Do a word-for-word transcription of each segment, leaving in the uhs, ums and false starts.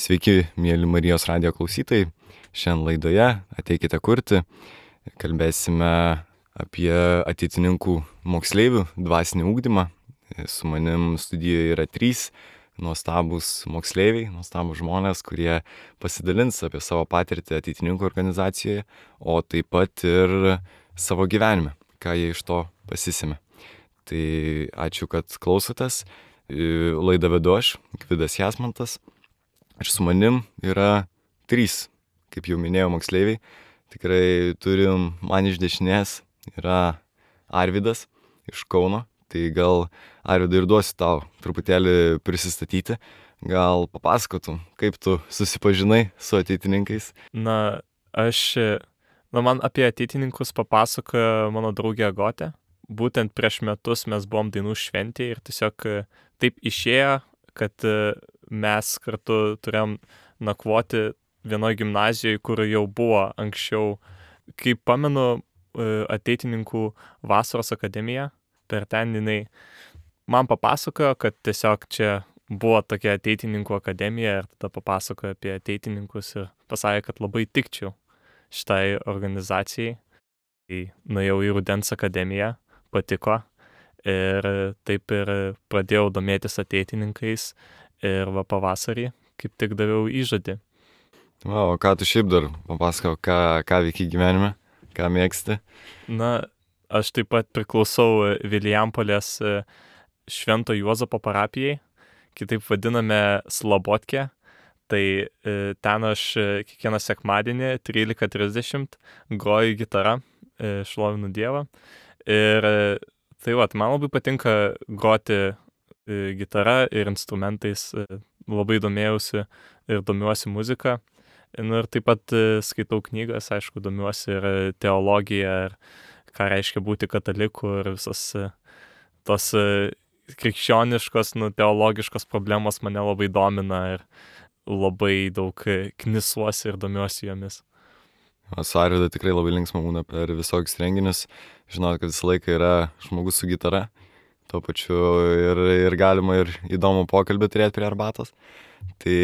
Sveiki, mėly Marijos radijo klausytojai. Šiandien laidoje Ateikite kurti. Kalbėsime apie ateitininkų moksleivių dvasinį ugdymą. Su manim studijoje yra trys nuostabūs moksleiviai, nuostabūs žmonės, kurie pasidalins apie savo patirtį ateitininkų organizacijoje, o taip pat ir savo gyvenime, ką jie iš to pasisėmė. Tai ačiū, kad klausotės. Laidą vedu aš, Gvidas Jasmantas. Ir su manim yra trys, kaip jau minėjau, moksleiviai. Tikrai turim man iš dešinės yra Arvydas iš Kauno. Tai gal, Arvydai, ir duosiu tau truputėlį prisistatyti. Gal papasakotum, kaip tu susipažinai su ateitininkais? Na, aš, na, man apie ateitininkus papasakojo mano draugė Agotė. Būtent prieš metus mes buvom dainų šventėje ir tiesiog taip išėjo, kad mes kartu turėjom nakvoti vienoje gimnazijoje, kur jau buvo anksčiau, kaip pamenu, ateitininkų vasaros akademija. Per ten jinai man papasakojo, kad tiesiog čia buvo tokia ateitininkų akademija ir tada papasakojo apie ateitininkus ir pasakė, kad labai tikčiau šitai organizacijai. Tai nuėjau į Rudens akademiją, patiko ir taip ir pradėjau domėtis ateitininkais ir va pavasarį kaip tik daviau įžodį. Va, o ką tu šiaip dar papasakau, ką, ką veiki gyvenime, ką mėgsti? Na, aš taip pat priklausau Vilijampolės Švento Juozapo parapijai, kitaip vadiname Slabotkę. Tai ten aš kiekvieną sekmadienį trylika trisdešimt groju gitarą, šlovinu Dievą. Ir tai va, man labai patinka groti gitara ir instrumentais, labai domėjausi ir domiuosi muziką. Nu, ir taip pat skaitau knygas, aišku, domiuosi ir teologiją, ir ką reiškia būti kataliku ir visas tos krikščioniškos, nu, teologiškos problemos mane labai domina ir labai daug knisuosi ir domiuosi jomis. Su Arvydu tikrai labai linksma būna per visokius renginius. Žinau, kad visą laiką yra žmogus su gitara. Tuo pačiu ir, ir galima ir įdomų pokalbį turėti prie arbatos. Tai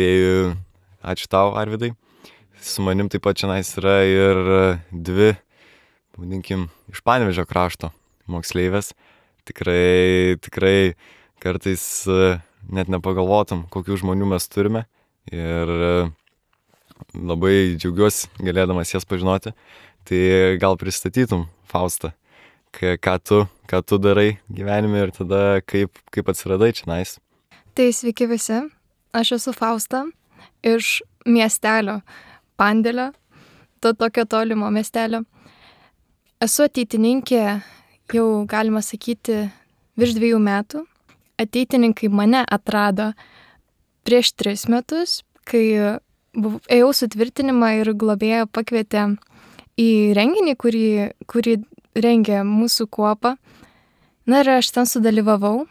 ačiū tau, Arvydai. Su manim taip pat šiandien yra ir dvi, vadinkim, iš Panevėžio krašto moksleivės. Tikrai, tikrai kartais net nepagalvotum, kokių žmonių mes turime. Ir labai džiaugiuosi galėdamas jas pažinoti. Tai gal pristatytum, Fausta, ką tu, ką tu darai gyvenime ir tada kaip, kaip atsiradai čionais. Tai sveiki visi, aš esu Fausta iš miestelio Pandėlio, to tokio tolimo miestelio. Esu ateitininkė jau, galima sakyti, virš dviejų metų. Ateitininkai mane atrado prieš tris metus, kai buv, ėjau sutvirtinimą ir globėja pakvietė į renginį, kurį, kurį rengė mūsų kuopa. Na ir aš ten sudalyvavau,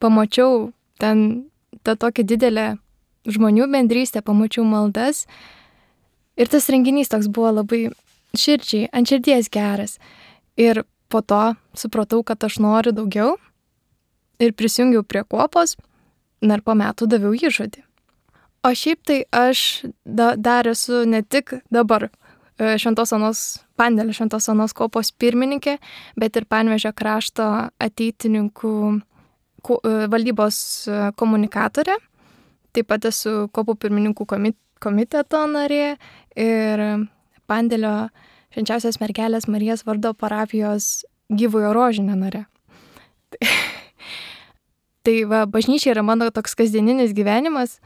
pamačiau ten tą tokią didelę žmonių bendrystę, pamačiau maldas. Ir tas renginys toks buvo labai širdžiai, ant širdies geras. Ir po to supratau, kad aš noriu daugiau ir prisijungiau prie kuopos, na ir po metų daviau įžodį. O šiaip tai aš da, dar esu ne tik dabar Šventos Onos, Pandėlio Šventos Onos kuopos pirmininkė, bet ir Panevėžio krašto ateitininkų ku, valdybos komunikatorė. Taip pat esu kuopų pirmininkų komit, komiteto narė ir Pandėlio Švenčiausios mergelės Marijos vardo parapijos Gyvojo rožinio narė. Tai, tai va, bažnyčia yra mano toks kasdieninis gyvenimas.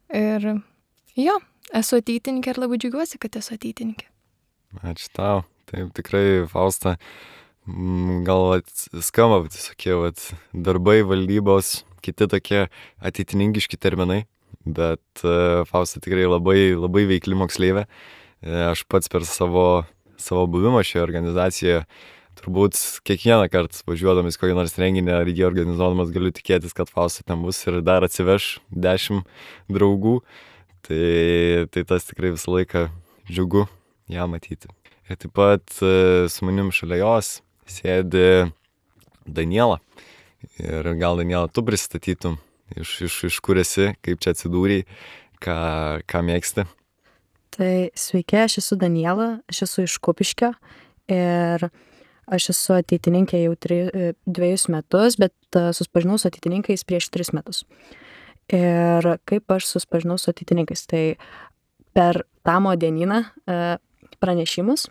Ir jo, esu ateitininkė ir labai džiaugiuosi, kad esu ateitininkė. Ačiū tau. Taip, tikrai, Fausta, gal skamba visokie darbai, valdybos, kiti tokie ateitininkiški terminai, bet Fausta tikrai labai, labai veikli moksleivė. Aš pats per savo, savo buvimą šioje organizacijoje turbūt kiekvieną kartą važiuodamas kokį nors renginį ar jį organizuodamas galiu tikėtis, kad Fausta ten bus ir dar atsiveš dešimt draugų. Tai, tai tas tikrai visą laiką džiugu ją matyti. Ir taip pat su manim šalia jos sėdi Daniela. Ir gal, Daniela, tu pristatytum iš, iš, iš kur esi, kaip čia atsidūrei, ką, ką mėgsti? Tai sveiki, aš esu Daniela, aš esu iš Kupiškio ir aš esu ateitininkė jau tri, dviejus metus, bet susipažinau su ateitininkais prieš tris metus. Ir kaip aš susipažinau su ateitininkais, tai per Tamo dienyną pranešimus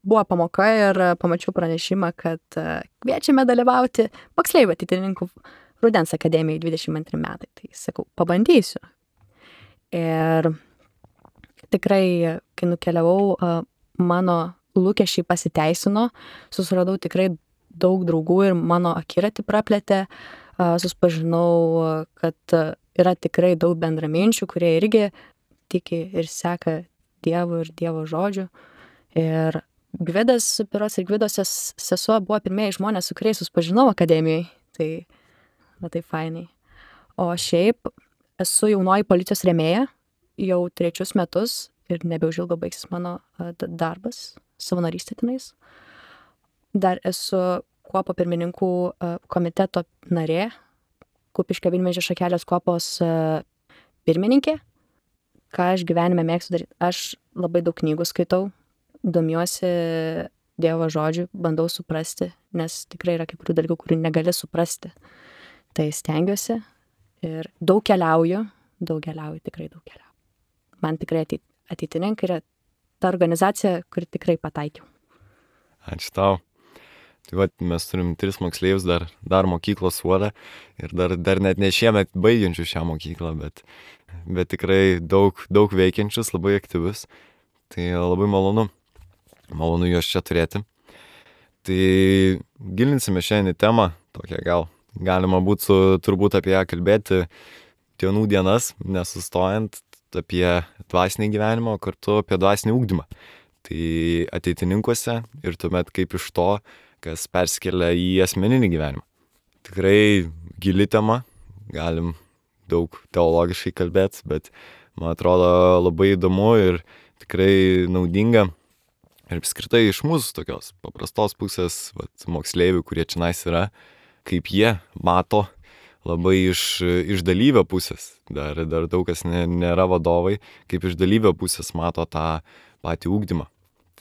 buvo pamoka ir pamačiau pranešimą, kad kviečiame dalyvauti moksleivių ateitininkų Rudens akademijai dvidešimt antri metai. Tai sakau, pabandysiu. Ir tikrai, kai nukeliavau, mano lūkesčiai pasiteisino, susiradau tikrai daug draugų ir mano akiratį praplėtė, susipažinau, kad yra tikrai daug bendraminčių, kurie irgi tiki ir seka Dievu ir Dievo žodžiu. Ir Gvidas, Piros ir Gvidos sesuo buvo pirmieji žmonės, su kuriais susipažinau akademijai. Tai, va tai fainai. O šiaip esu jaunoji policijos rėmėja jau trečius metus ir nebeužilgo baigsis mano darbas, savanorystė tenais. Dar esu kuopo pirmininkų komiteto narė, Kupiškio Vynmedžio šakelės kuopos pirmininkė. Ką aš gyvenime mėgstu daryti? Aš labai daug knygų skaitau, domiuosi Dievo žodžiu, bandau suprasti, nes tikrai yra kai kurių dalykų, kurių negali suprasti. Tai stengiuosi ir daug keliauju, daug keliauju, tikrai daug keliauju. Man tikrai ateitininkai yra ta organizacija, kuri tikrai pataikiau. Ačiū tau. Tai va, mes turim tris moksleivius dar, dar mokyklos suolę ir dar, dar net ne šiemet baigiančių šią mokyklą, bet, bet tikrai daug, daug veikiančius, labai aktyvius. Tai labai malonu, malonu juos čia turėti. Tai gilinsime šiandien į temą, tokią gal galima būtų turbūt apie ją kalbėti dienų dienas, nesustojant, apie dvasinį gyvenimą, kartu apie dvasinį ugdymą. Tai ateitininkuose ir tuomet kaip iš to, kas perskelia į asmeninį gyvenimą. Tikrai gili tema, galim daug teologiškai kalbėti, bet man atrodo labai įdomu ir tikrai naudinga. Ir apskritai iš mūsų tokios paprastos pusės, vat, moksleivių, kurie čionais yra, kaip jie mato labai iš, iš dalyvio pusės. Dar, dar daug kas ne, nėra vadovai, kaip iš dalyvio pusės mato tą patį ugdymą.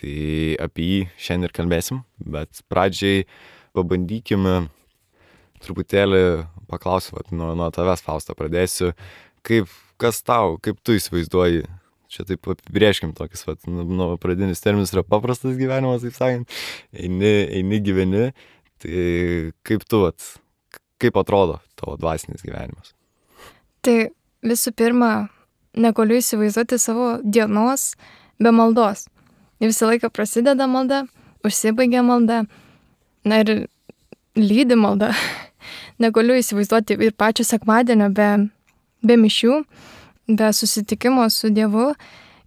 Tai apie jį šiandien ir kalbėsim, bet pradžiai pabandykime truputėlį paklausiu, vat, nuo, nuo tavęs, Fausta, pradėsiu. Kaip, kas tau, kaip tu įsivaizduoji? Čia taip apibrėžkim tokius, vat, nu, pradinis terminas yra paprastas gyvenimas, taip sakant, eini, eini gyveni, tai kaip tu, vat, kaip atrodo tavo dvasinis gyvenimas? Tai visų pirma, negaliu įsivaizduoti savo dienos be maldos. Visą laiką prasideda malda, užsibaigia malda, na ir lydi malda. Negaliu įsivaizduoti ir pačio sekmadienio be, be mišių, be susitikimo su Dievu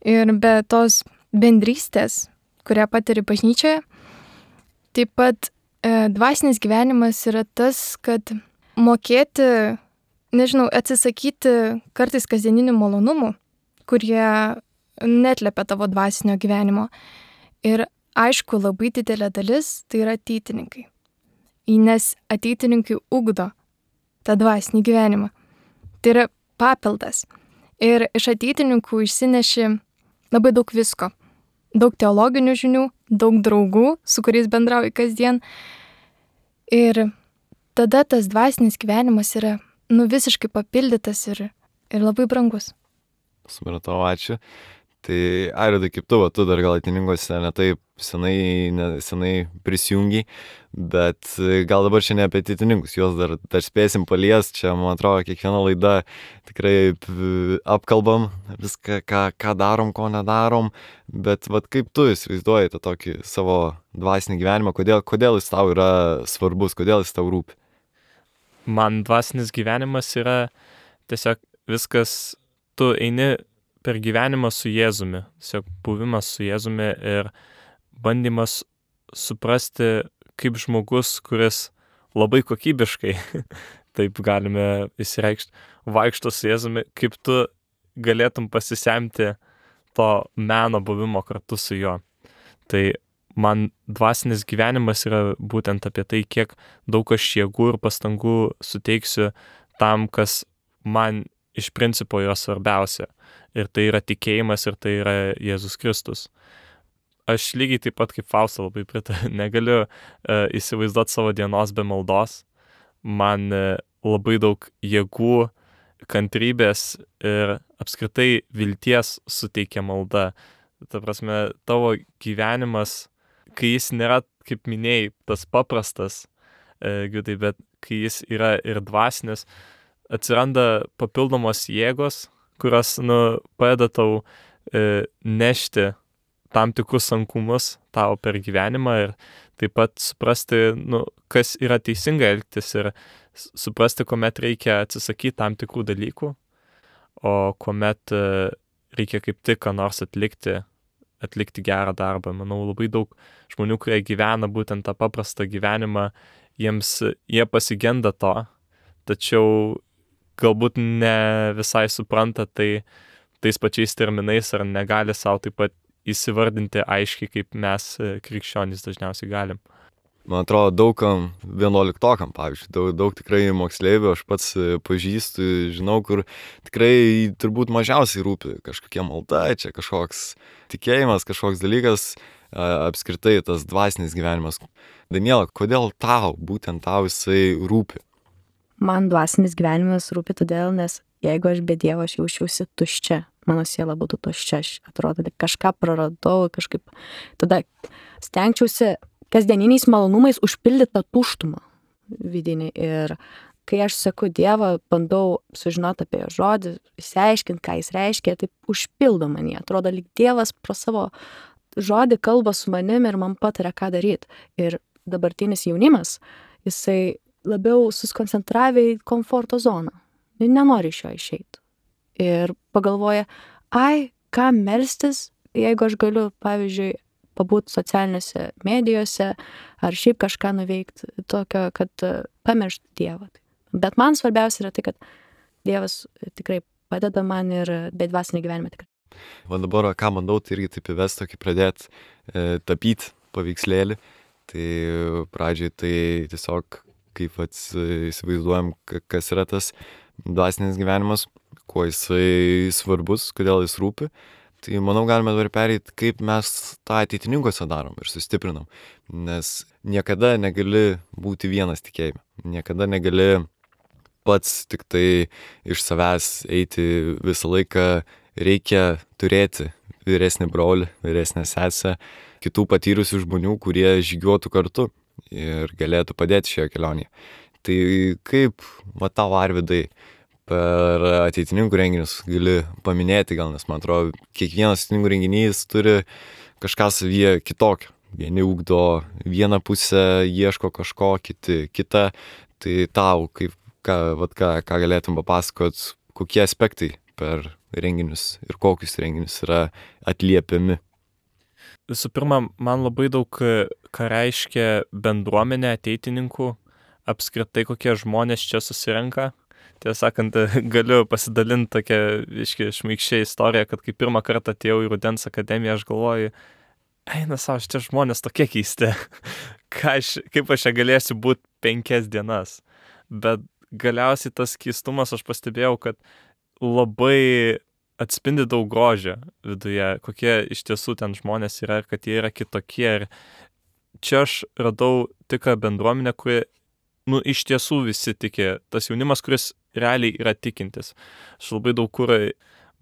ir be tos bendrystės, kurią patiri bažnyčioje. Taip pat e, dvasinis gyvenimas yra tas, kad mokėti, nežinau, atsisakyti kartais kasdieninių malonumų, kurie netlepia tavo dvasinio gyvenimo. Ir aišku, labai didelė dalis tai yra ateitininkai. Nes ateitininkai ugdo tą dvasinį gyvenimą. Tai yra papildas. Ir iš ateitininkų išsineši labai daug visko. Daug teologinių žinių, daug draugų, su kuriais bendrauji kasdien. Ir tada tas dvasinis gyvenimas yra nu, visiškai papildytas ir, ir labai brangus. Supratau, ačiū. Tai Airidai, kaip tu, va, tu dar gal ateitininkuose ne taip senai, ne, senai prisijungiai, bet gal dabar čia ne apie ateitininkus, juos dar, dar spėsim palies, čia, man atrodo, kiekviena laida tikrai apkalbam viską, ką, ką darom, ko nedarom, bet vat, kaip tu įsivaizduoji tą tokį savo dvasinį gyvenimą, kodėl, kodėl jis tau yra svarbus, kodėl jis tau rūpi? Man dvasinis gyvenimas yra tiesiog viskas, tu eini per gyvenimą su Jėzumi, tiesiog buvimas su Jėzumi ir bandymas suprasti, kaip žmogus, kuris labai kokybiškai, taip galime įsireikšti, vaikšto su Jėzumi, kaip tu galėtum pasisemti to meno buvimo kartu su juo. Tai man dvasinis gyvenimas yra būtent apie tai, kiek daug aš jėgų ir pastangų suteiksiu tam, kas man iš principo yra svarbiausia. Ir tai yra tikėjimas, ir tai yra Jėzus Kristus. Aš lygiai taip pat kaip Fausta labai pritariu, negaliu uh, įsivaizduoti savo dienos be maldos. Man uh, labai daug jėgų, kantrybės ir apskritai vilties suteikia malda. Ta prasme, tavo gyvenimas, kai jis nėra, kaip minėjai, tas paprastas, uh, Giudai, bet kai jis yra ir dvasinis, atsiranda papildomos jėgos, kurios, nu, padeda tau e, nešti tam tikrus sunkumus tau per gyvenimą ir taip pat suprasti, nu, kas yra teisinga elgtis ir suprasti, kuomet reikia atsisakyti tam tikrų dalykų, o kuomet e, reikia kaip tik ką nors atlikti, atlikti gerą darbą. Manau, labai daug žmonių, kurie gyvena būtent tą paprastą gyvenimą, jiems, jie pasigenda to, tačiau galbūt ne visai supranta tai tais pačiais terminais ar negali savo taip pat įsivardinti aiškiai, kaip mes krikščionys dažniausiai galim. Man atrodo, daugam vienuoliktokam, pavyzdžiui, daug, daug tikrai moksleivių, aš pats pažįstu, žinau, kur tikrai turbūt mažiausiai rūpi kažkokia malda, čia kažkoks tikėjimas, kažkoks dalykas, apskritai tas dvasinis gyvenimas. Daniela, kodėl tau, būtent tau jisai rūpi? Man dvasinis gyvenimas rūpi todėl, nes jeigu aš be Dievo aš jaučiausi tuščia, mano siela būtų tuščia, aš atrodo, kažką praradau, kažkaip, tada stengčiausi kasdieniniais malonumais užpildyti tą tuštumą vidinį ir kai aš seku Dievą, bandau sužinoti apie jo žodį, išsiaiškinti, ką jis reiškia, taip užpildo manį, atrodo, lyg Dievas pro savo žodį kalba su manim ir man pataria, ką daryti. Ir dabartinis jaunimas, jisai labiau susikoncentravę į komforto zoną. Nenori iš jo išeiti. Ir pagalvoja, ai, ką melstis, jeigu aš galiu, pavyzdžiui, pabūti socialinėse medijose ar šiaip kažką nuveikti tokio, kad pamirštų Dievą. Bet man svarbiausia yra tai, kad Dievas tikrai padeda man ir be dvasinį gyvenimą tikrai. Va dabar, ką bandau, tai irgi taip įvesti, tokį pradėti e, tapyti paveikslėlį. Tai pradžiai tai tiesiog kaip įsivaizduojam, kas yra tas dvasinis gyvenimas, kuo jisai svarbus, kodėl jis rūpi. Tai manau, galime dabar pereiti, kaip mes tą ateitininkuose darom ir sustiprinam. Nes niekada negali būti vienas tikėjime. Niekada negali pats tik tai iš savęs eiti visą laiką. Reikia turėti vyresnį brolį, vyresnę sesę, kitų patyrusių žmonių, kurie žygiuotų kartu ir galėtų padėti šioje kelionėje. Tai kaip, va tau, Arvydai, per ateitininkų renginius gali paminėti gal, nes man atrodo, kiekvienas ateitininkų renginys turi kažką savyje kitokio. Vieni ugdo vieną pusę, ieško kažko, kiti kitą. Tai tau, kaip, ką, va, ką, ką galėtum papasakot, kokie aspektai per renginius ir kokius renginius yra atliepiami? Visų pirma, man labai daug ką reiškia bendruomenė ateitininkų, apskritai kokie žmonės čia susirenka. Tiesą sakant, galiu pasidalinti tokią iški šmaikščią istoriją, kad kai pirmą kartą atėjau į Rudens akademiją, aš galvoju, eina savo, šitie žmonės tokie keisti, Ką aš, kaip aš čia galėsiu būti penkias dienas. Bet galiausiai tas keistumas, aš pastebėjau, kad labai atspindi daug grožio viduje, kokie iš tiesų ten žmonės yra ir kad jie yra kitokie. Ir čia aš radau tikrą bendruomenę, kuri, nu, iš tiesų visi tiki. Tas jaunimas, kuris realiai yra tikintis. Aš labai daug kur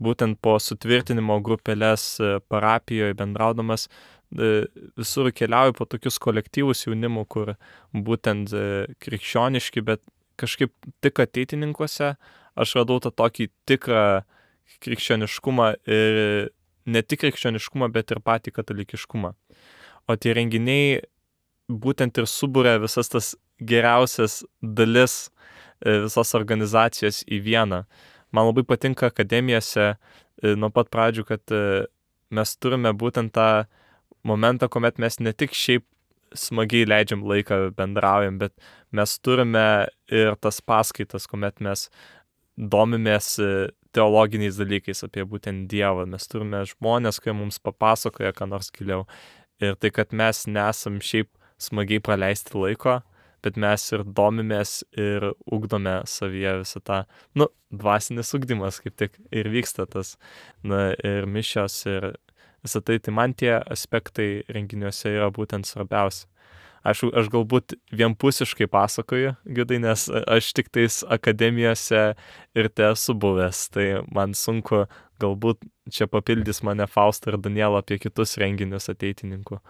būtent po sutvirtinimo grupelės parapijoje bendraudamas visur keliauju po tokius kolektyvus jaunimų, kur būtent krikščioniški, bet kažkaip tik ateitininkuose aš radau tą tokį tikrą krikščioniškumą ir ne tik krikščioniškumą, bet ir patį katalikiškumą. O tie renginiai būtent ir subūrė visas tas geriausias dalis visos organizacijos į vieną. Man labai patinka akademijose nuo pat pradžių, kad mes turime būtent tą momentą, kuomet mes ne tik šiaip smagiai leidžiam laiką, bendraujam, bet mes turime ir tas paskaitas, kuomet mes domimės teologiniais dalykais apie būtent Dievą. Mes turime žmonės, kurie mums papasakoja ką nors giliau. Ir tai, kad mes nesam šiaip smagiai praleisti laiko, bet mes ir domimės ir ugdome savyje visą tą, nu, dvasinis ugdymas kaip tik ir vyksta tas, na, ir mišios ir visą tai, tai man tie aspektai renginiuose yra būtent svarbiausia. Aš, aš galbūt vienpusiškai pasakoju, Gidai, nes aš tik tais akademijose ir te esu buvęs, tai man sunku galbūt čia papildys mane Fausta ir Daniela apie kitus renginius ateitininkų.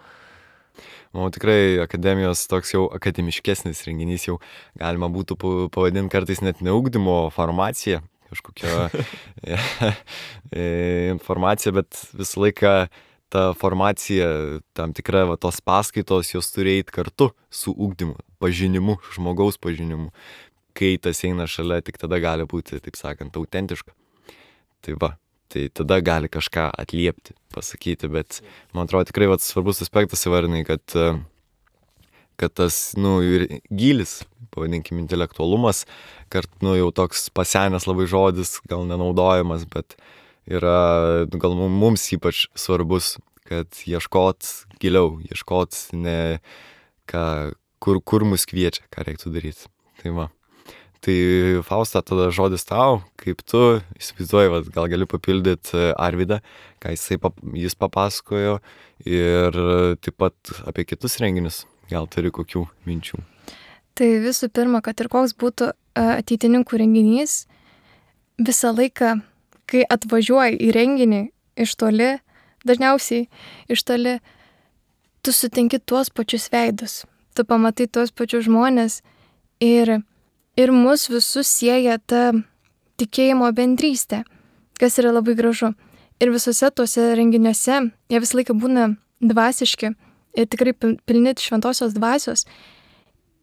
Manau, tikrai akademijos toks jau akademiškesnis renginys jau galima būtų pavadinti kartais net ne ugdymo formacija, kažkokia informacija, bet visą laiką ta formacija, tam tikra va, tos paskaitos, jos turi eiti kartu su ugdymu, pažinimu, žmogaus pažinimu. Kai tas eina šalia, tik tada gali būti, taip sakant, autentiška. Tai va, tai tada gali kažką atliepti, pasakyti, bet man atrodo tikrai va, svarbus aspektas įvardinai, kad, kad tas, nu, ir gylis, pavadinkim, intelektualumas, kart, nu, jau toks pasenęs labai žodis, gal nenaudojamas, bet yra, gal mums ypač svarbus, kad ieškot giliau, ieškot ne, ką, kur, kur mus kviečia, ką reiktų daryti. Tai va. Tai Fausta, tada žodis tau, kaip tu įsivaizduoji, va, gal gali papildyti Arvydą, ką jisai, pap, jis papasakojo ir taip pat apie kitus renginius, gal turi kokių minčių. Tai visų pirma, kad ir koks būtų ateitininkų renginys, visą laiką, kai atvažiuoji į renginį iš toli, dažniausiai iš toli, tu sutinki tuos pačius veidus, tu pamatai tuos pačius žmonės ir, ir mus visus sieja ta tikėjimo bendrystė, kas yra labai gražu. Ir visose tuose renginiuose jie visą laiką būna dvasiški ir tikrai pilni šventosios dvasios.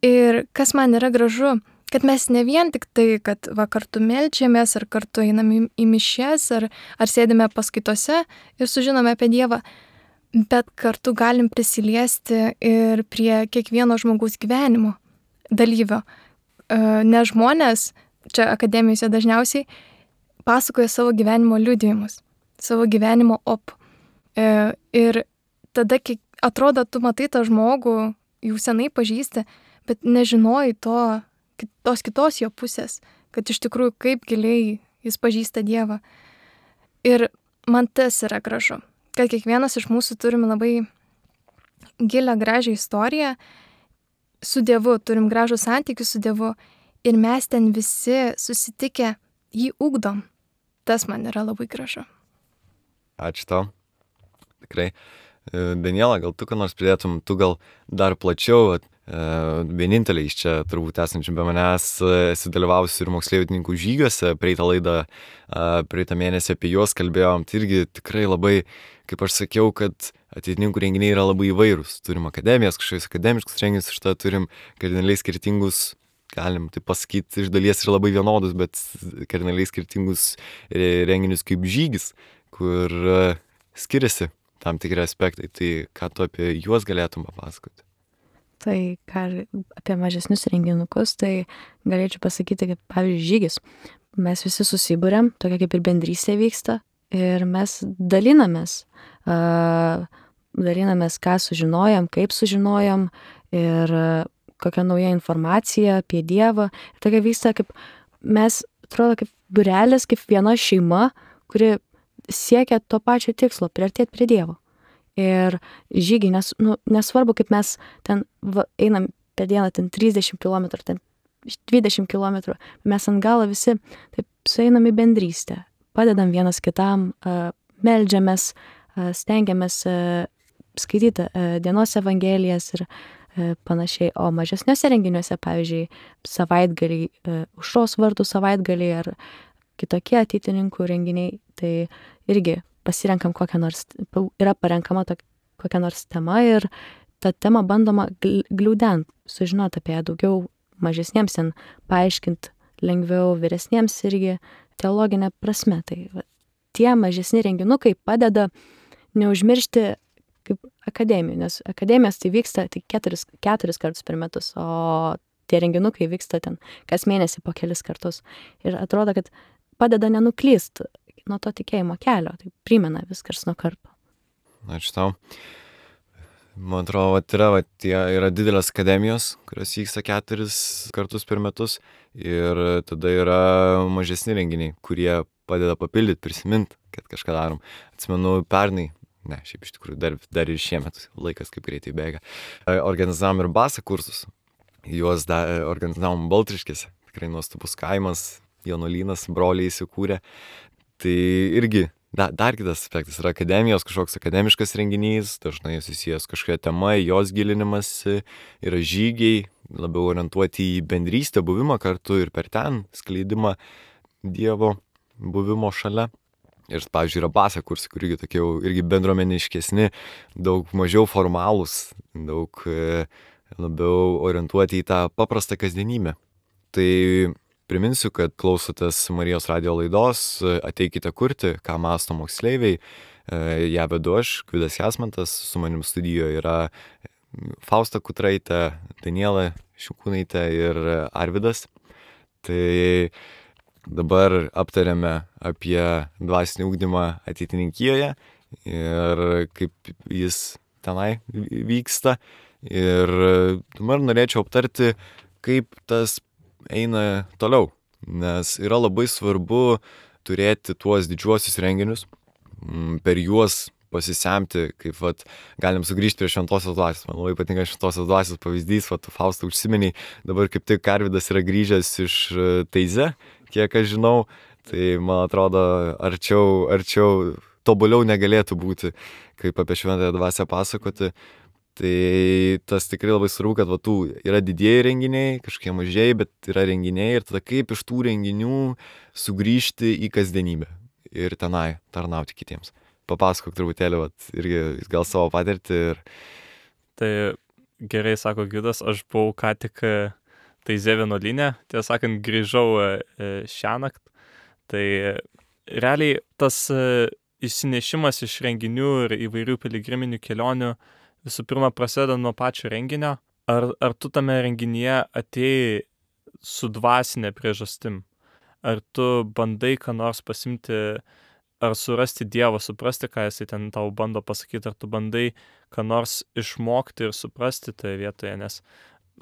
Ir kas man yra gražu, kad mes ne vien tik tai, kad va, kartu meldžiamės, ar kartu einam į, į mišias, ar, ar sėdime paskaitose ir sužinome apie Dievą, bet kartu galim prisiliesti ir prie kiekvieno žmogaus gyvenimo dalyvio. Nes žmonės, čia akademijose dažniausiai, pasakoja savo gyvenimo liudijimus, savo gyvenimo op. Ir tada, kai atrodo, tu matai tą žmogų, jau senai pažįsti, bet nežinojai to, tos kitos jo pusės, kad iš tikrųjų kaip giliai jis pažįsta Dievą. Ir man tas yra gražu, kad kiekvienas iš mūsų turim labai gilią, gražią istoriją su Dievu, turim gražų santykį su Dievu ir mes ten visi susitikę jį ugdom. Tas man yra labai gražu. Ačiū tau. Tikrai. Daniela, gal tu ką nors pridėtum, tu gal dar plačiau, vieninteliai iš čia turbūt esančių be manęs esi dalyvavusi ir moksleivininkų žygiuose, praeitą laidą, praeitą mėnesį apie juos kalbėjom, tai irgi tikrai labai, kaip aš sakiau, kad ateitininkų renginiai yra labai įvairūs. Turim akademijas, kažkokius akademiškus renginius, šitą turim kardinaliai skirtingus, galim taip pasakyti, iš dalies ir labai vienodus, bet kardinaliai skirtingus renginius kaip žygis, kur skiriasi tam tikri aspektai. Tai ką tu apie juos galėtum papasakoti? Tai ką apie mažesnius renginukus, tai galėčiau pasakyti, kad pavyzdžiui žygis. Mes visi susibūrėm, tokia kaip ir bendrystė vyksta ir mes dalinamės, uh, dalinamės, ką sužinojom, kaip sužinojom ir uh, kokia nauja informacija apie Dievą. Ir tokia vyksta kaip mes, atrodo, kaip būrelis, kaip viena šeima, kuri siekia to pačio tikslo, priartėti prie Dievo. Ir žygiai, nes, nu, nesvarbu, kaip mes ten va, einam per dieną ten trisdešimt kilometrų, ten dvidešimt kilometrų, mes ant galo visi taip sueinam į bendrystę, padedam vienas kitam, uh, meldžiamės, uh, stengiamės uh, skaityti uh, dienos evangelijas ir uh, panašiai. O mažesniuose renginiuose, pavyzdžiui, savaitgaliai, uh, aušros vartų savaitgaliai ar kitokie ateitininkų renginiai, tai irgi pasirenkam kokią nors, yra parenkama tok, kokią nors tema ir tą temą bandoma gliaudent, sužinoti apie ją daugiau mažesniems, ten paaiškinti lengviau, vyresniems irgi teologinė prasme. Tai va, tie mažesni renginukai padeda neužmiršti kaip akademijų, nes akademijos tai vyksta tik keturis, keturis kartus per metus, o tie renginukai vyksta ten kas mėnesį po kelis kartus. Ir atrodo, kad padeda nenuklyst nuo to tikėjimo kelio, tai primena viskas nuo karto. Ačiū tau. Man atrodo, vat yra, vat, tie yra didelės akademijos, kurios vyksta keturis kartus per metus ir tada yra mažesni renginiai, kurie padeda papildyti, prisiminti, kad kažką darom. Atsimenu, pernai, ne, šiaip iš tikrųjų dar, dar ir šiemet, laikas kaip greitai bėga, organizavom ir basą kursus. Juos da, organizavom Baltriškėse, tikrai nuostabus kaimas, jaunuolynas, broliai įsikūrė. Tai irgi Da, dar kitas aspektas yra akademijos, kažkoks akademiškas renginys, dažnai susijęs kažkokia tema, jos gilinimas, yra žygiai, labiau orientuoti į bendrystę, buvimą kartu ir per ten skleidimą Dievo buvimo šalia. Ir, pavyzdžiui, yra basą kursai, kur irgi tokie jau irgi bendruomeniškesni, daug mažiau formalūs, daug e, labiau orientuoti į tą paprastą kasdienybę. Tai priminsiu, kad klausotės Marijos radijo laidos Ateikite kurti, ką mąsto moksleiviai. Ja vedu aš, Gvidas Jasmantas, su manim studijoje yra Fausta Kutraitė, Daniela Šiukūnaitė ir Arvydas. Tai dabar aptarėme apie dvasinį ugdymą ateitininkijoje ir kaip jis tenai vyksta. Ir dabar norėčiau aptarti, kaip tas eina toliau, nes yra labai svarbu turėti tuos didžiuosius renginius, per juos pasisemti, kaip vat, galim sugrįžti prie šventosios dvasios. Man labai patinka šventosios dvasios pavyzdys, vat, Fausta užsimeniai, dabar kaip tik Arvydas yra grįžęs iš Taize, kiek aš žinau, tai man atrodo arčiau, arčiau tobuliau negalėtų būti, kaip apie šventąją dvasią pasakoti. Tai tas tikrai labai svarbu, kad va, tų yra didieji renginiai, kažkokie mažieji, bet yra renginiai ir tada kaip iš tų renginių sugrįžti į kasdienybę ir tenai tarnauti kitiems. Papasakok truputėlį, vat, irgi gal savo patirtį. Ir... Tai gerai, sako Gvidas, aš buvau ką tik Taize vienuolyne, tiesą sakant, grįžau šiąnakt. Tai realiai tas išsinešimas iš renginių ir įvairių piligriminių kelionių visų pirma prasideda nuo pačio renginio. Ar, ar tu tame renginyje atėjai su dvasinė priežastim? Ar tu bandai ką nors pasimti, ar surasti Dievą, suprasti, ką jisai ten tau bando pasakyti, ar tu bandai ką nors išmokti ir suprasti toje vietoje, nes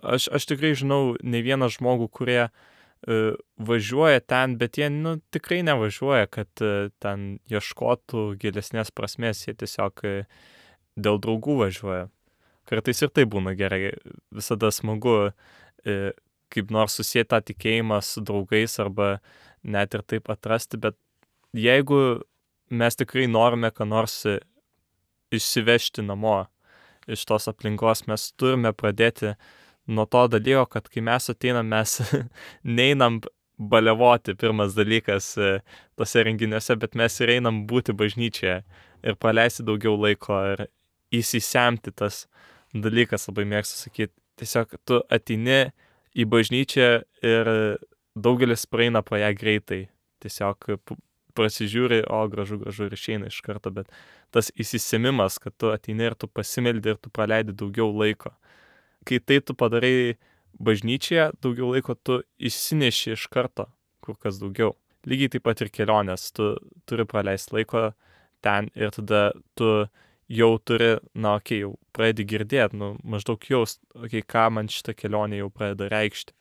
aš, aš tikrai žinau ne vieną žmogų, kurie uh, važiuoja ten, bet jie nu, tikrai nevažiuoja, kad uh, ten ieškotų gilesnės prasmės, jie tiesiog uh, dėl draugų važiuoja. Kartais ir tai būna gerai, visada smagu e, kaip nors susieti tą tikėjimą su draugais arba net ir taip atrasti, bet jeigu mes tikrai norime ką nors išsivežti namo iš tos aplinkos, mes turime pradėti nuo to dalyko, kad kai mes ateinam, mes neinam balevoti, pirmas dalykas tose renginiuose, bet mes ir einam būti bažnyčioje ir praleisti daugiau laiko ir įsisemti tas dalykas, labai mėgstu sakyti. Tiesiog tu ateini į bažnyčią ir daugelis praeina pro ją greitai. Tiesiog prasižiūri, o gražu, gražu ir išeina iš karto, bet tas įsisėmimas, kad tu ateini ir tu pasimeldi ir tu praleidi daugiau laiko. Kai tai tu padarai bažnyčioje, daugiau laiko tu išsineši iš karto, kur kas daugiau. Lygiai taip pat ir kelionės, tu turi praleisti laiko ten ir tada tu jau turi, na, okei, okay, jau pradedi girdėti, nu, maždaug jaust, okei, okay, ką man šitą kelionę jau pradeda reikšti.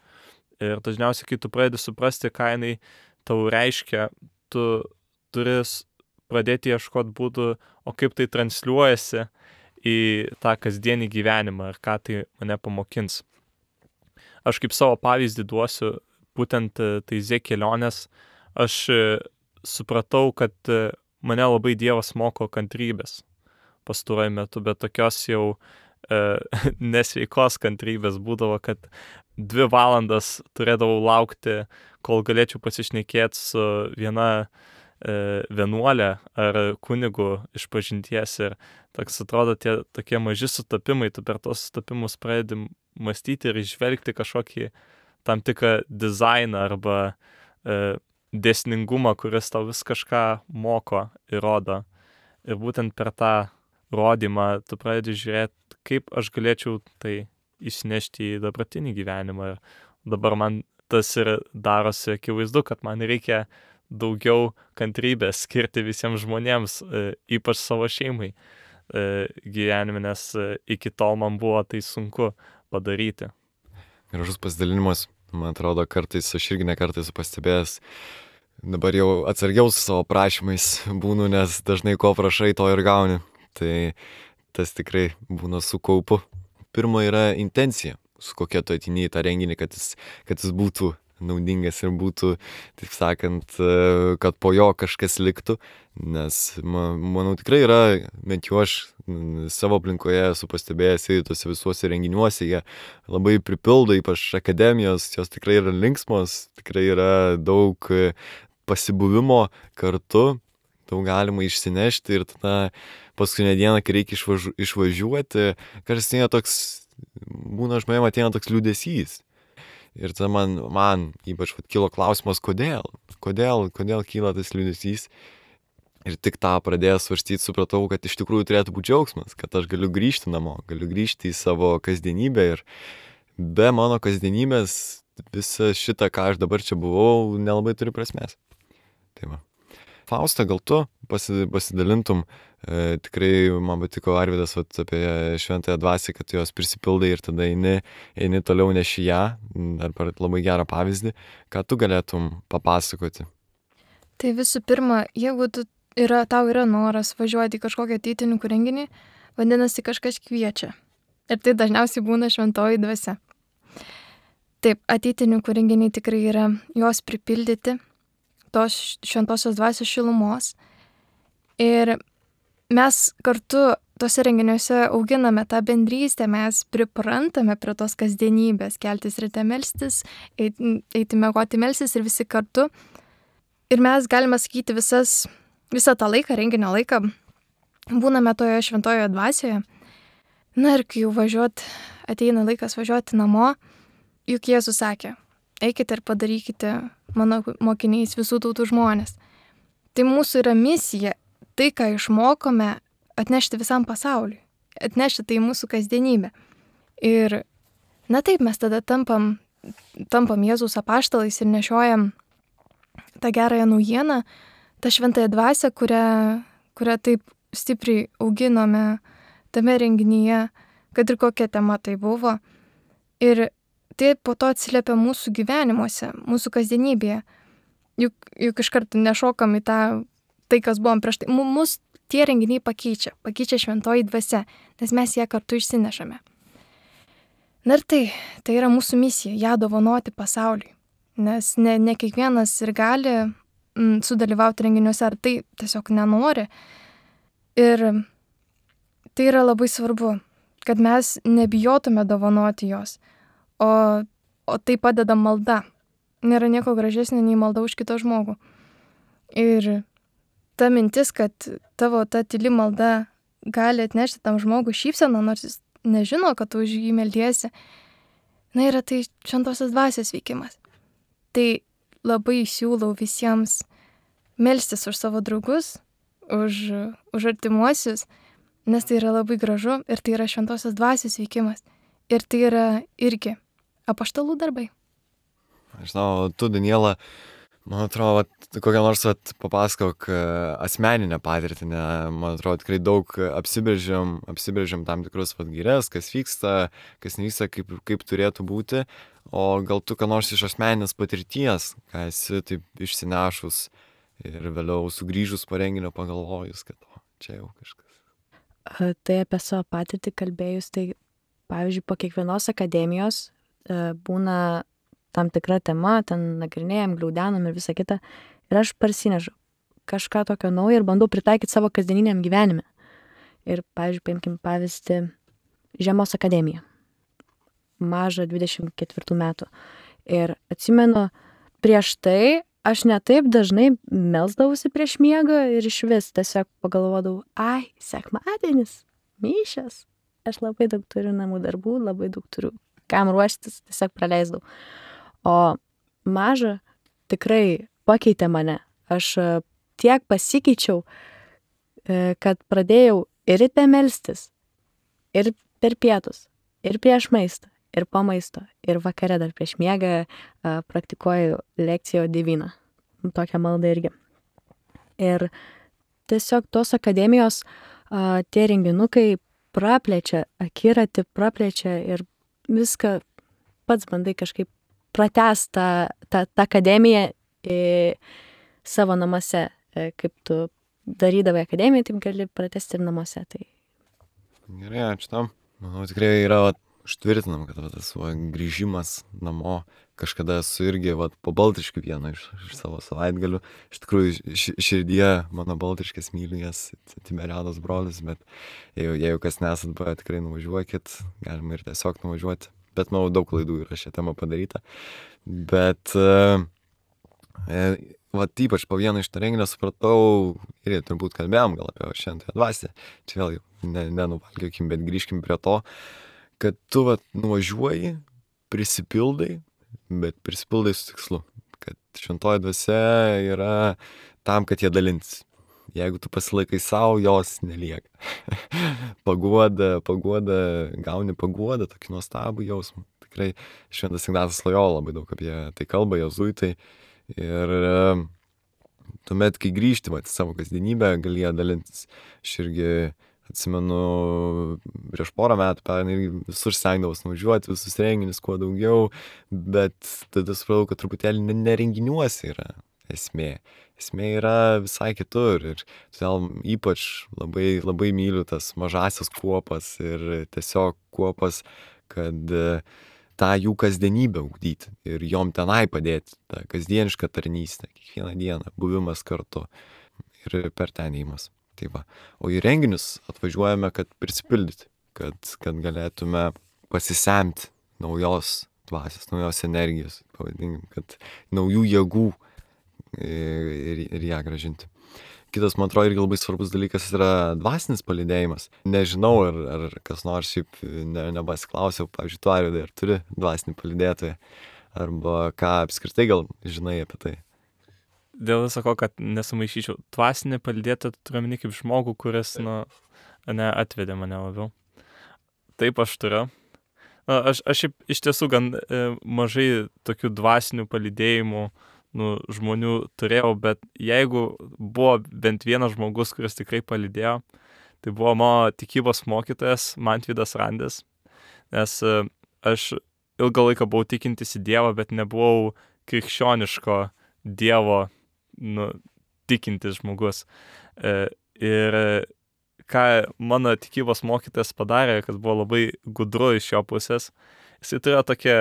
Ir dažniausiai, kai tu pradedi suprasti, ką jinai tau reiškia, tu turi pradėti ieškoti būdų, o kaip tai transliuojasi į tą kasdienį gyvenimą ir ką tai mane pamokins. Aš kaip savo pavyzdį duosiu, būtent Taize kelionės, aš supratau, kad mane labai Dievas moko kantrybės pastaruoju metu, bet tokios jau e, nesveikos kantrybės būdavo, kad dvi valandas turėdavau laukti, kol galėčiau pasišnekėti su viena e, vienuolė ar kunigu iš pažinties ir toks atrodo tie tokie maži sutapimai, tu per tos sutapimus pradedi mąstyti ir išvelgti kažkokį tam tikrą dizainą arba e, dėsningumą, kuris tau vis kažką moko ir rodo. Ir būtent per tą rodymą tu pradedi žiūrėti, kaip aš galėčiau tai išsinešti į dabartinį gyvenimą. Ir dabar man tas ir darosi akivaizdu, kad man reikia daugiau kantrybės skirti visiems žmonėms, ypač savo šeimai. gyvenime, nes iki tol man buvo tai sunku padaryti. Gražus pasidalinimas, man atrodo, kartais aš irgi ne kartais esu pastebėjęs, dabar jau atsargiau su savo prašymais būnu, nes dažnai ko prašai, to ir gauni. Tai tas tikrai būna su kaupu. Pirma yra intencija, su kokia tu ateini į tą renginį, kad jis, kad jis būtų naudingas ir būtų, taip sakant, kad po jo kažkas liktų, nes manau tikrai yra, bent jau aš savo aplinkoje esu pastebėjęs ir tose visuose renginiuose, jie labai pripildo, ypač akademijos, jos tikrai yra linksmos, tikrai yra daug pasibuvimo kartu, daug galima išsinešti ir tada paskutinę dieną, kai reikia išvažu, išvažiuoti, kartais ateina toks, būna žmonėm ateina toks liūdesys. Ir tada man, man ypač vat, kilo klausimas, kodėl, kodėl, kodėl kyla tas liūdesys. Ir tik tą pradėjęs svarstyti, supratau, kad iš tikrųjų turėtų būti džiaugsmas, kad aš galiu grįžti namo, galiu grįžti į savo kasdienybę ir be mano kasdienybės visą šitą, ką aš dabar čia buvau, nelabai turi prasmės. Tai va. Fausta, gal tu pasidalintum, e, tikrai man patiko Arvydas vat, apie šventąją dvasią, kad jos prisipildai ir tada eini, eini toliau neši ją, dar labai gerą pavyzdį, ką tu galėtum papasakoti. Tai visų pirma, jeigu tu yra, tau yra noras važiuoti į kažkokią ateitininkų renginį, vadinasi kažkas kviečia. Ir tai dažniausiai būna šventoji dvasia. Taip, ateitininkų renginiai tikrai yra jos pripildyti tos šventosios dvasios šilumos. Ir mes kartu tose renginiuose auginame tą bendrystę, mes priprantame prie tos kasdienybės, keltis ryte melstis, eiti, eiti miegoti melstis ir visi kartu. Ir mes galime sakyti visas, visą tą laiką, renginio laiką, būname toje šventojoje dvasioje. Na ir kai jau važiuot, ateina laikas važiuoti namo, juk Jėzus sakė, eikite ir padarykite mano mokiniais visų tautų žmonės. Tai mūsų yra misija, tai, ką išmokome, atnešti visam pasauliui, atnešti tai mūsų kasdienybę. Ir, na taip, mes tada tampam, tampam Jėzaus apaštalais ir nešiojam tą gerąją naujieną, tą šventąją dvasią, kurią, kurią taip stipriai auginome tame renginyje, kad ir kokia tema tai buvo. Ir tai po to atsiliepia mūsų gyvenimuose, mūsų kasdienybėje. Juk, juk iš karto nešokam į tą, tai, kas buvom prieš tai. Mus tie renginiai pakeičia, pakeičia šventoji dvasia, nes mes ją kartu išsinešame. Na ir tai, tai yra mūsų misija, ją dovanoti pasauliui. Nes ne, ne kiekvienas ir gali mm, sudalyvauti renginiuose, ar tai tiesiog nenori. Ir tai yra labai svarbu, kad mes nebijotume dovanoti jos. O, o tai padeda malda. Nėra nieko gražesnio nei malda už kitą žmogų. Ir ta mintis, kad tavo ta tyli malda gali atnešti tam žmogui šypseną, nors jis nežino, kad tu už jį meldiesi, na yra tai šventosios dvasios veikimas. Tai labai siūlau visiems melstis už savo draugus, už, už artimuosius, nes tai yra labai gražu ir tai yra šventosios dvasios veikimas. Ir tai yra irgi apaštalų darbai. Aš žinau, tu, Daniela, man atrodo, vat, kokią nors vat, papasakok asmeninę patirtį, ne, man atrodo, tikrai daug apsibrėžiam, apsibrėžiam tam tikrus vat, gaires, kas vyksta, kas nevyksta, kaip, kaip turėtų būti, o gal tu ką nors iš asmeninės patirties, ką esi taip išsinešus ir vėliau sugrįžus po renginio pagalvojus, kad o, čia jau kažkas. Tai apie savo patirtį kalbėjus, tai pavyzdžiui, po kiekvienos akademijos būna tam tikra tema, ten nagrinėjam, gliaudenam ir visą kitą. Ir aš parsinežu kažką tokio naujo ir bandau pritaikyti savo kasdieniniam gyvenime. Ir, pavyzdžiui, paimkim pavyzdį Žiemos akademiją. Mažą dvidešimt ketvirtų metų. Ir atsimenu, prieš tai aš netaip dažnai melsdavausi prieš miegą ir iš vis tiesiog pagalvodavau, ai, sekmadienis, mišios. Aš labai daug turiu namų darbų, labai daug turiu kam ruoštis, tiesiog praleisdavau. O maža tikrai pakeitė mane. Aš tiek pasikeičiau, kad pradėjau ir ryte melstis, ir per pietus, ir prieš maistą, ir po maisto, ir vakare dar prieš miegą praktikuoju lekcijo diviną. Tokią maldą irgi. Ir tiesiog tos akademijos a, tie renginukai praplečia akiratį, praplečia ir viską pats bandai kažkaip pratęsti tą, tą, tą akademiją į savo namuose. E, Kaip tu darydavai akademiją, taip gali pratęsti ir namuose. Tai Gerai, ačiū tam. Manau, tikrai yra vat, užtvirtinam, kad va, tas va, grįžimas namo, kažkada esu irgi va, po Baltriškių vieną iš, iš savo savaitgalių. Iš tikrųjų, ši, širdie mano Baltriškės myliu jas, Tiberiados brolis, bet jeigu, jeigu kas nesat buvę, tikrai nuvažiuokit, galima ir tiesiog nuvažiuoti. Bet, manau, daug klaidų yra šią temą padaryta. Bet, e, e, vat ypač po vieno iš to renginio supratau, ir turbūt kalbėjom gal apie šventąją dvasią, čia vėl jau ne, nenuvalgiokim, bet grįžkim prie to, kad tu vat nuvažiuoji, prisipildai, bet prisipildai su tikslu, kad šventoji dvasia yra tam, kad jie dalintis. Jeigu tu pasilaikai savo, jos nelieka. paguoda, paguoda, gauni paguodą, tokį nuostabų jausmą. Tikrai šventas Ignatas Lojola labai daug apie tai kalba, jėzuitai. Ir e, tuomet, kai grįžti vat, į savo kasdienybę, gali ją dalintis. Aš irgi atsimenu, prieš porą metų pernai irgi visur stengdavos nuvažiuoti, visus renginius kuo daugiau, bet tada supratau, kad truputėlį ne, ne renginiuose yra esmė. Esmė yra visai kitur ir todėl ypač labai, labai myliu tas mažasias kuopas ir tiesiog kuopas, kad e, tą jų kasdienybę ugdyti ir jom tenai padėti, tą kasdienišką tarnystę, kiekvieną dieną, buvimas kartu ir per ten įimas. Tai va. O į renginius atvažiuojame, kad prisipildyti, kad, kad galėtume pasisemti naujos dvasios, naujos energijos, pavadinkim, kad naujų jėgų ir, ir ją gražinti. Kitas, man atrodo, irgi labai svarbus dalykas yra dvasinis palydėjimas. Nežinau, ar, ar kas nors šiaip ne, nebasiklausiau, pavyzdžiui, tu, Arvydai, ar turi dvasinį palydėtoją, arba ką apskritai gal žinai apie tai. Dėl viso ko, kad nesumaišyčiau, dvasinį palydėtoją turiu omeny kaip žmogų, kuris, nu, ne, atvedė mane labiau. Taip aš turiu. Na, aš, aš šiaip iš tiesų gan e, mažai tokių dvasinių palydėjimų nu, žmonių turėjau, bet jeigu buvo bent vienas žmogus, kuris tikrai palydėjo, tai buvo mano tikybos mokytojas Mantvydas Randis, nes e, aš ilgą laiką buvau tikintis į Dievą, bet nebuvau krikščioniško Dievo nu, tikintis žmogus. E, ir ką mano tikybos mokytojas padarė, kad buvo labai gudru iš jo pusės, jisai turėjo tokią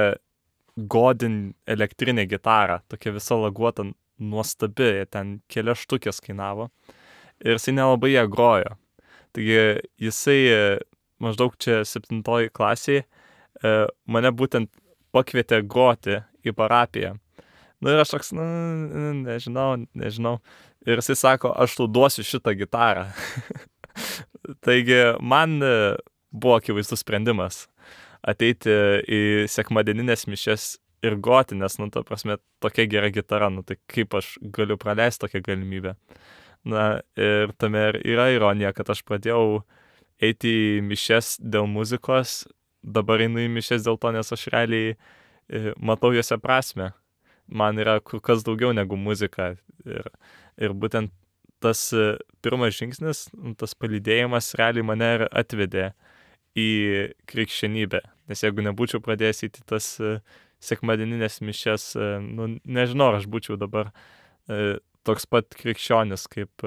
Godin elektrinę gitarą, tokia visa laguota, nuostabi, ten kelias štukės kainavo ir jisai nelabai ją grojo. Taigi jisai maždaug čia septintoji klasėje mane būtent pakvietė groti į parapiją. Nu ir aš toks, nu, nežinau, nežinau. Ir jisai sako, aš tau duosiu šitą gitarą. Taigi man buvo akivaizdus sprendimas ateiti į sekmadieninės mišias ir groti, nes, nu, ta prasme, tokia gera gitara, nu, tai kaip aš galiu praleisti tokią galimybę. Na, ir tame yra ironija, kad aš pradėjau eiti į mišias dėl muzikos, dabar einu į mišias dėl to, nes aš realiai matau juose prasme. Man yra kur kas daugiau negu muzika. Ir, ir būtent tas pirmas žingsnis, tas palydėjimas realiai mane ir atvedė į krikščionybę. Nes jeigu nebūčiau pradėjęs į tas sekmadieninės mišias, nu, nežinau, aš būčiau dabar toks pat krikščionis, kaip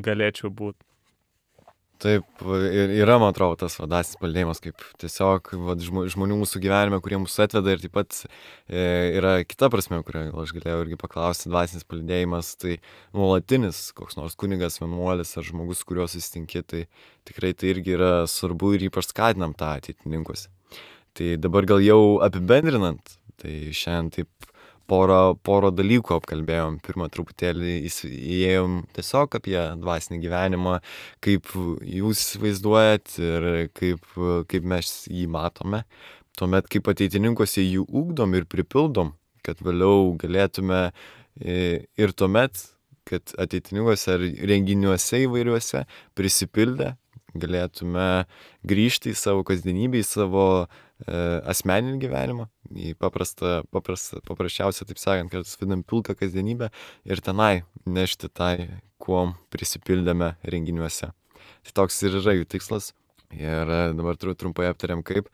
galėčiau būti. Taip, ir yra, man atrodo, tas dvasinis palydėjimas, kaip tiesiog va, žmonių mūsų gyvenime, kurie mūsų atveda, ir taip pat e, yra kita prasme, kurią aš galėjau irgi paklausti, dvasinis palydėjimas, tai nuolatinis, koks nors kunigas, vienuolis ar žmogus, kuriuo susitinki, tai tikrai tai irgi yra svarbu ir ypač skatinam tą ateitininkuose. Tai dabar gal jau apibendrinant, tai šiandien taip porą, porą dalykų apkalbėjom. Pirmą truputėlį įėjom tiesiog apie dvasinį gyvenimą, kaip jūs įsivaizduojat ir kaip, kaip mes jį matome. Tuomet, kaip ateitininkuose jį ugdom ir pripildom, kad vėliau galėtume ir tuomet, kad ateitininkuose ar renginiuose įvairiuose prisipildę galėtume grįžti į savo kasdienybę, į savo e, asmeninį gyvenimą, į paprastą, paprastą, paprasčiausią, taip sakant, kad vadinam pilką kasdienybę ir tenai nešti tai, kuom prisipildėme renginiuose. Tai toks ir yra jų tikslas. Ir dabar trumpai aptariam kaip.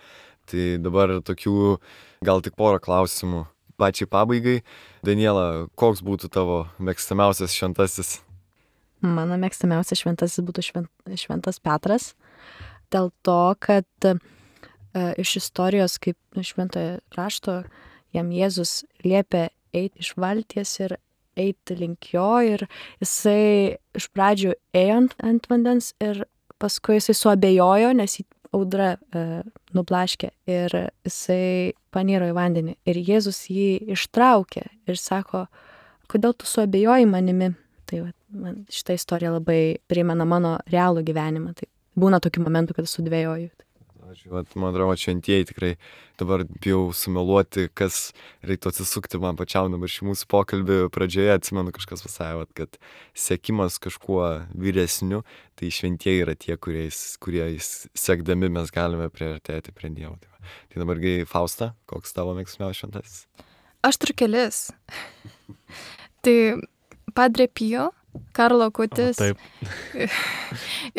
Tai dabar tokių gal tik porą klausimų pačiai pabaigai. Daniela, koks būtų tavo mėgstamiausias šventasis? Mano mėgstamiausias šventasis būtų švent, šventas Petras. Dėl to, kad e, iš istorijos, kaip šventojo rašto, jam Jėzus liepė eiti iš valties ir eiti link jo. Ir jisai iš pradžių ėjo ant, ant vandens ir paskui jisai suabejojo, nes jį audra e, nublaškė ir jisai paniro į vandenį. Ir Jėzus jį ištraukė ir sako, kodėl tu suabejoji manimi? Tai va, man šitą istoriją labai primena mano realų gyvenimą. Tai būna tokių momentų, kad sudvejoju. Vat, man atrodo, šventieji tikrai dabar bijau sumeluoti, kas reiktų atsisukti man pačiam dabar šį mūsų pokalbį pradžioje, atsimenu kažkas pasakė, kad sekimas kažkuo vyresniu, tai šventieji yra tie, kuriais, kuriais sekdami mes galime priartėti prie Dievo. Tai, tai dabargi Fausta, koks tavo mėgstamiausias šventasis? Aš turiu kelis. Tai Padre Pio, Karlo Akutis. O, taip.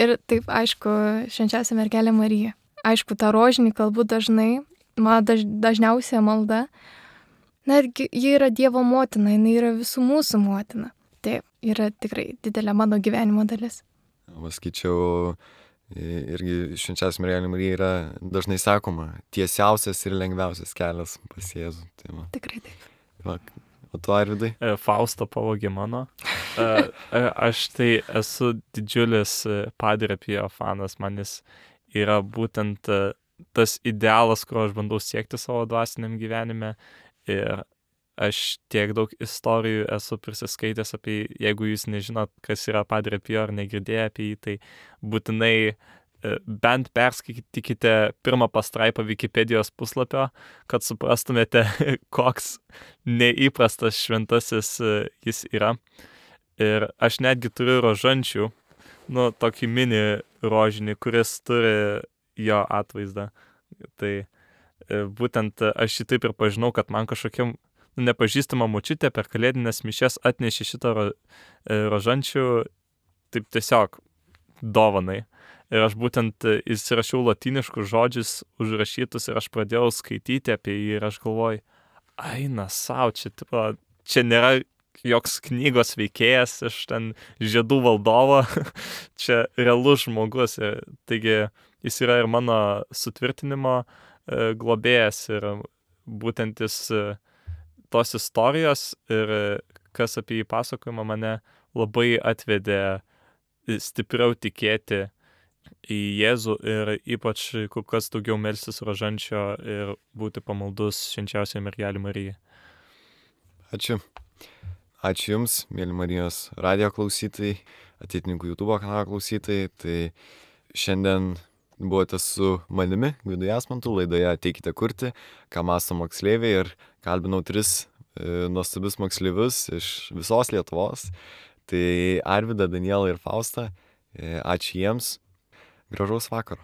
Ir taip, aišku, švenčiausia mergelė Marija. Aišku, tą rožinį kalbu dažnai, mano daž, dažniausia malda. Netgi ji yra Dievo motina, jinai yra visų mūsų motina. Taip, yra tikrai didelė mano gyvenimo dalis. Paskaičiau, irgi švenčiausia mergelė Marija yra dažnai sakoma, tiesiausias ir lengviausias kelias pas Jėzų. Tai va. Tikrai taip. Va, o tu, Arvydai? Fausto pavogė mano. Aš tai esu didžiulis Padre Pio fanas, man jis yra būtent tas idealas, kurio aš bandau siekti savo dvasiniam gyvenime. Ir aš tiek daug istorijų esu prisiskaitęs apie jį. Jeigu jūs nežinot, kas yra Padre Pio ar negirdėję apie jį, tai būtinai bent perskaitykite pirmą pastraipą Wikipedijos puslapio, kad suprastumėte, koks neįprastas šventasis jis yra. Ir aš netgi turiu rožančių, nu, tokį mini rožinį, kuris turi jo atvaizdą. Tai būtent aš šį taip ir pažinau, kad man kažkokiam nepažįstama močiutė per kalėdinės mišias atnešė šitą ro, rožančių taip tiesiog dovanai. Ir aš būtent įsirašiau lotyniškus žodžius užrašytus ir aš pradėjau skaityti apie jį ir aš galvoju, aina sau, čia, tipo, čia nėra joks knygos veikėjas iš ten žiedų valdovo, čia realus žmogus. Ir, taigi jis yra ir mano sutvirtinimo e, globėjas ir būtent jis e, tos istorijos ir e, kas apie jį pasakojama mane labai atvedė stipriau tikėti į Jėzų ir ypač kur kas daugiau melstis rožančio ir būti pamaldus švenčiausiai mergelei Marijai. Ačiū. Ačiū Jums, mėly Marijos radijo klausytojai, Ateitininkų YouTube kanalo klausytojai. Tai šiandien buvote su manimi, Gvidu Jasmantu, laidoje Ateikite kurti, ką mąsto moksleiviai, ir kalbinau tris e, nuostabius moksleivius iš visos Lietuvos. Tai Arvydą, Danielą ir Faustą. E, ačiū jiems. Gražaus vakaro.